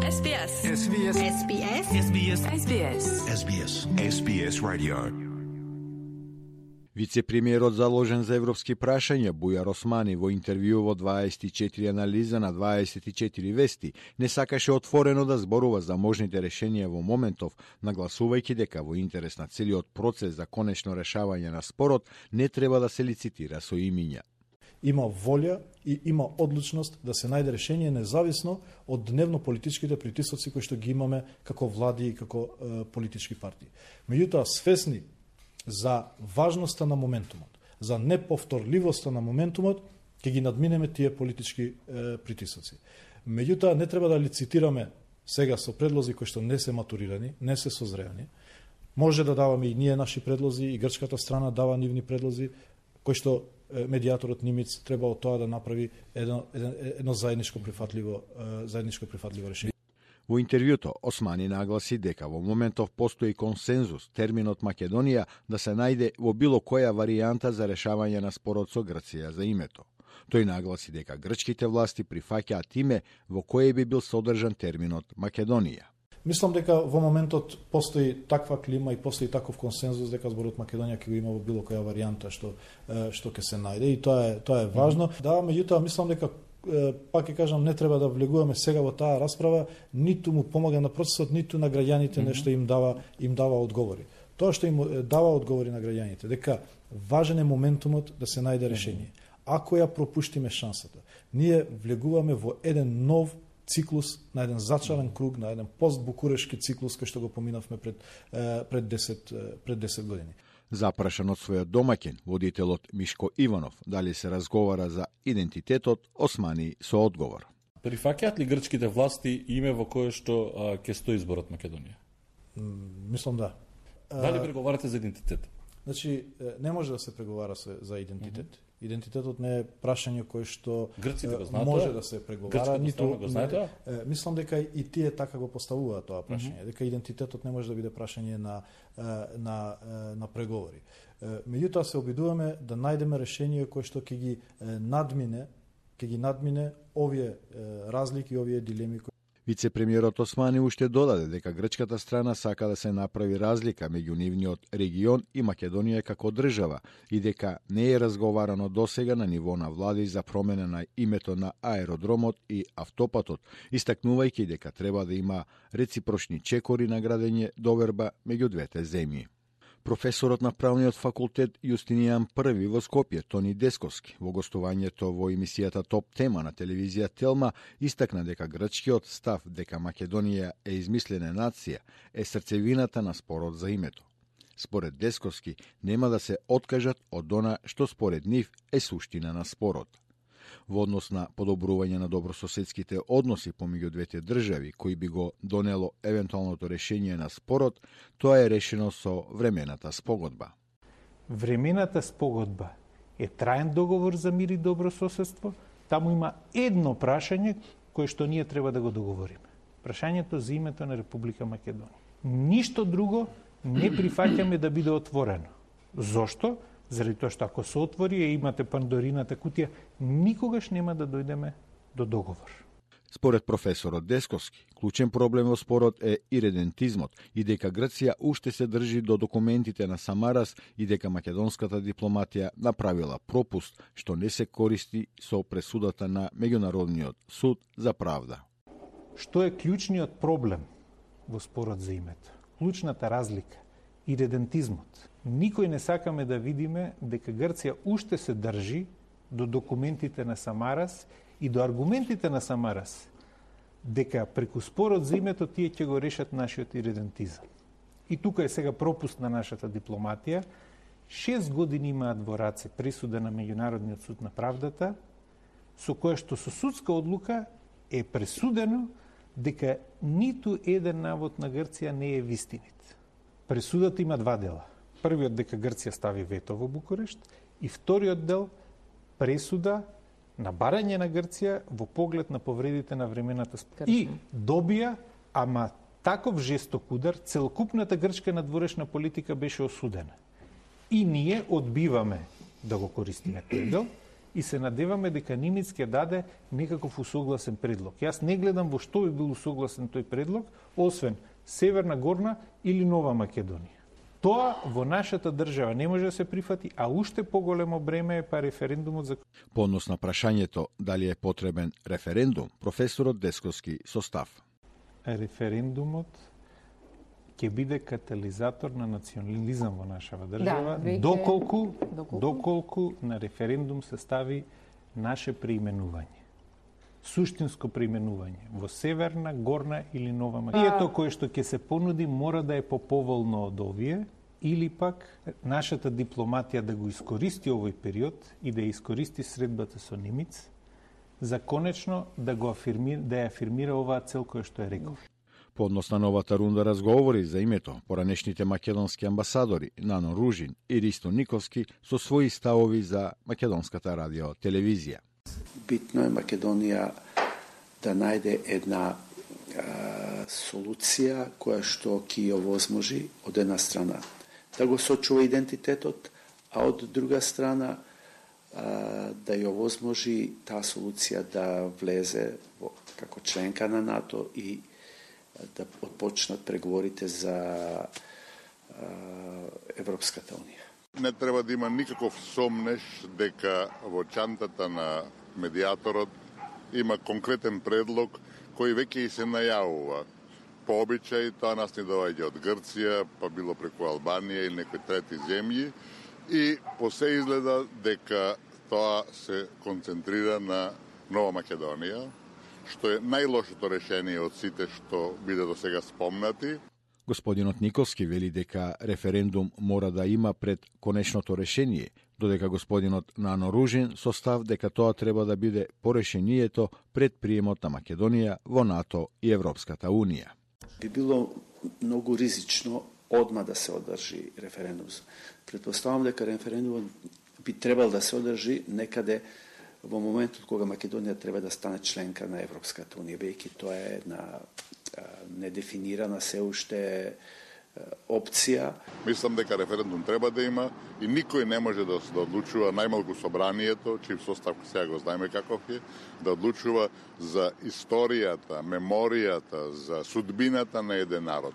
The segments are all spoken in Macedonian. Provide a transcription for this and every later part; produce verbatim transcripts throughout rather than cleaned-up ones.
S B S. S B S. S B S. S B S. S B S. S B S. S B S Radio. Вице-премиерот заложен за европски прашања Бујар Османи во интервју во дваесет и четири анализа на дваесет и четири вести не сакаше отворено да зборува за можните решенија во моментов, нагласувајќи дека во интерес на целиот процес за конечно решавање на спорот не треба да се лицитира со имиња. Има волја и има одлучност да се најде решение независно од дневно-политичките притисоци кои што ги имаме како влади и како е, политички партии. Меѓутоа, свесни за важноста на моментумот, за неповторливоста на моментумот, ќе ги надминеме тие политички е, притисоци. Меѓутоа, не треба да лицитираме сега со предлози кои што не се матурирани, не се созреани. Може да даваме и ние наши предлози, и грчката страна дава нивни предлози, кои што медиаторот Нимиц треба од тоа да направи едно, едно, едно заедничко прифатливо, заедничко прифатливо решение. Во интервјуто, Османи нагласи дека во моментов постои консензус терминот Македонија да се најде во било која варијанта за решавање на спорот со Грција за името. Тој нагласи дека грчките власти прифаќаат име во кое би бил содржан терминот Македонија. Мислам дека во моментот постои таква клима и постои таков консензус дека зборот Македонија ќе го има во било која варијанта што што ќе се најде, и тоа е тоа е важно. Mm-hmm. Да, меѓутоа мислам дека пак ќе кажам, не треба да влегуваме сега во таа расправа, ниту му помага на процесот, ниту на граѓаните mm-hmm. нешто им дава им дава одговори. Тоа што им дава одговори на граѓаните, дека важен е моментумот да се најде решение. Mm-hmm. Ако ја пропуштиме шансата, ние влегуваме во еден нов циклус, на еден зачаран круг, на еден постбукурешки циклус кој што го поминавме пред пред десет пред десет години. Запрашан од својот домаќин, водителот Мишко Иванов, дали се разговара за идентитетот, Османи со одговор. Прифаќаат ли грчките власти име во кое што ќе стои зборот Македонија? Мислам да. Дали преговарате за идентитет? Значи, не може да се преговара за идентитет. Mm-hmm. Идентитетот не е прашање кое што грците го знаат, може да се преговара, ниту го знаете. Мислам дека и тие така го поставуваат тоа прашање, mm-hmm. дека идентитетот не може да биде прашање на на на преговори. Меѓутоа се обидуваме да најдеме решение кое што ќе ги надмине, ќе ги надмине овие разлики, овие дилеми. Вице-премиерот Османи уште додаде дека грчката страна сака да се направи разлика меѓу нивниот регион и Македонија како држава и дека не е разговарано досега на ниво на влади за промена на името на аеродромот и автопатот, истакнувајќи дека треба да има реципрочни чекори на градење доверба меѓу двете земји. Професорот на правниот факултет Јустинијан Први во Скопје, Тони Десковски, во гостувањето во емисијата Топ тема на телевизија Телма, истакна дека грчкиот став дека Македонија е измислена нација е срцевината на спорот за името. Според Десковски, нема да се откажат од она што според нив е суштина на спорот. Во однос на подобрување на добрососедските односи помеѓу двете држави, кои би го донело евентуалното решение на спорот, тоа е решено со времената спогодба. Времената спогодба е траен договор за мир и добрососедство. Таму има едно прашање кое што ние треба да го договориме. Прашањето за името на Република Македонија. Ништо друго не прифаќаме да биде отворено. Зошто? Заради тоа што ако се отвори и имате Пандорината кутија, никогаш нема да дојдеме до договор. Според професорот Десковски, клучен проблем во спорот е иредентизмот и дека Грција уште се држи до документите на Самарас и дека македонската дипломатија направила пропуст што не се користи со пресудата на Меѓународниот суд за правда. Што е клучниот проблем во спорот за името? Клучната разлика, иредентизмот. Никој не сакаме да видиме дека Грција уште се држи до документите на Самарас и до аргументите на Самарас, дека преку спорот за името тие ќе го решат нашиот иредентизам. И тука е сега пропуст на нашата дипломатија. Шест години имаат во раце пресуда на Меѓународниот суд на правдата, со која што со судска одлука е пресудено дека ниту еден навод на Грција не е вистинит. Пресудата има два дела. Првиот дека Грција стави вето во Букурешт и вториот дел пресуда на барање на Грција во поглед на повредите на времената спогодба. И добија, ама таков жесток удар, целокупната грчка надворешна политика беше осудена. И ние одбиваме да го користиме тој дел и се надеваме дека Нимиц ќе даде некаков усогласен предлог. Јас не гледам во што би бил усогласен тој предлог, освен Северна Горна или Нова Македонија. Тоа во нашата држава не може да се прифати, а уште поголемо бреме е па референдумот за... По однос на прашањето дали е потребен референдум, професорот Десковски состав. Референдумот ќе биде катализатор на национализам во нашава држава, да, веќе... доколку, доколку доколку на референдум се стави наше преименување. Суштинско преименување во Северна, Горна или Нова Македонија. Ието кое што ќе се понуди мора да е поповолно од овие, или пак нашата дипломатија да го искористи овој период и да ја искористи средбата со Нимиц за конечно да го афирмира, да ја афирмира оваа цел која што е реков. По однос на новата рунда разговори за името, поранешните македонски амбасадори Нано Ружин и Ристо Никовски со своји ставови за македонската радио телевизија. Битно е Македонија да најде една а, солуција која што ќе ја овозможи од една страна да го сочува идентитетот, а од друга страна а, да ја овозможи таа солуција да влезе во, како членка на НАТО и да отпочнат преговорите за а, Европската унија. Не треба да има никаков сомнеш дека во чантата на медиаторот има конкретен предлог кој веќе и се најавува. По обичај тоа нас ни доаѓа од Грција, па било преку Албанија или некои трети земји и по се изгледа дека тоа се концентрира на Нова Македонија, што е најлошото решение од сите што биде до сега спомнати. Господинот Никовски вели дека референдум мора да има пред конечното решение, додека господинот Нано Ружин состав дека тоа треба да биде по решението пред приемот на Македонија во НАТО и Европската Унија. Би било многу ризично одма да се одржи референдум. Предпоставам дека референдумот би требал да се одржи некаде во моментот кога Македонија треба да стане членка на Европската Унија, бејќи тоа е една недефинирана се уште опција. Мислам дека референдум треба да има и никој не може да, да одлучува, најмалку собранието, чиј состав сега го знаеме каков е, да одлучува за историјата, меморијата, за судбината на еден народ.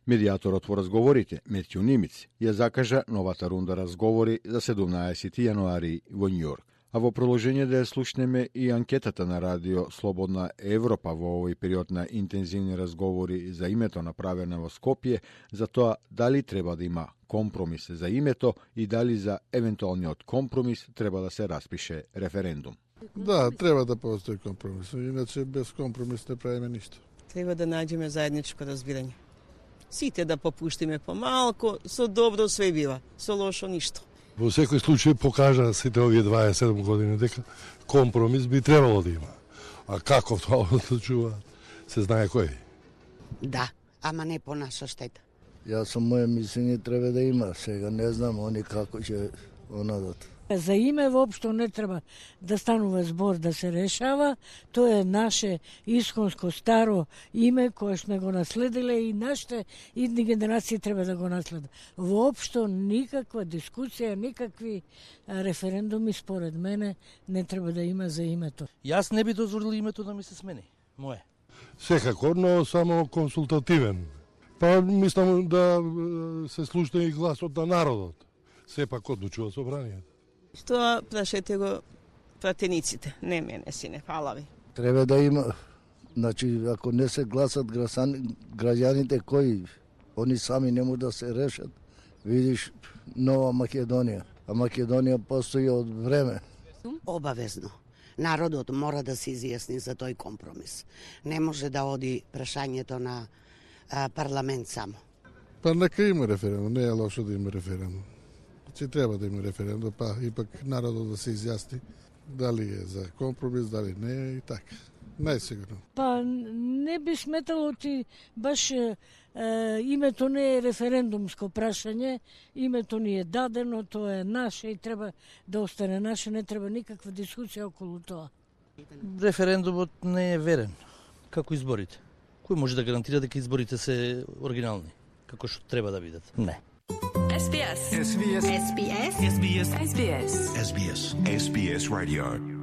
Медиаторот во разговорите, Метју Нимиц, ја закажа новата рунда разговори за седумнаесети јануари во Њујорк. А во продолжение да ја слушнеме и анкетата на радио Слободна Европа во овој период на интензивни разговори за името направена во Скопје, за тоа дали треба да има компромис за името и дали за евентуалниот компромис треба да се распише референдум. Да, треба да постои компромис, иначе без компромис не правиме ништо. Треба да наđеме заедничко разбирање. Сите да попуштиме помалку, со добро све бива, со лошо ништо. Во секој случај покажа сите овие дваесет и седум години дека компромис би требало да има. А како тоа одлучува, се знае кој. Да, ама не по наша штета. Јас сум моје мислење треба да има. Сега не знам они како ќе онадат. За име воопшто не треба да станува збор да се решава. Тоа е наше исконско старо име кое сме го наследиле и нашите идни генерации треба да го наследат. Воопшто никаква дискусија, никакви референдуми според мене не треба да има за името. Јас не би дозволил името да ми се смени. Мое. Секако, но само консултативен. Па мислам да се слушне и гласот на народот. Сепак одлучува собранието. Тоа прашете го пратениците, не мене, сине, фала ви. Треба да има, значи, ако не се гласат граѓаните кои, они сами не можат да се решат, видиш Нова Македонија, а Македонија постои од време. Обавезно. Народот мора да се изјасни за тој компромис. Не може да оди прашањето на а, парламент само. Па нека има референдум, не е лошо да има референдум. Че треба да има референдум, па ипак народот да се изјасни дали е за компромис, дали не е и така. Најсигурно. Па не би сметало ти баш е, името не е референдумско прашање, името ни е дадено, тоа е наше и треба да остане наше, не треба никаква дискусија околу тоа. Референдумот не е верен, како изборите. Кој може да гарантира дека изборите се оригинални, како што треба да бидат? Не. S B S. S B S. S B S. S B S. S B S. S B S. S B S Radio.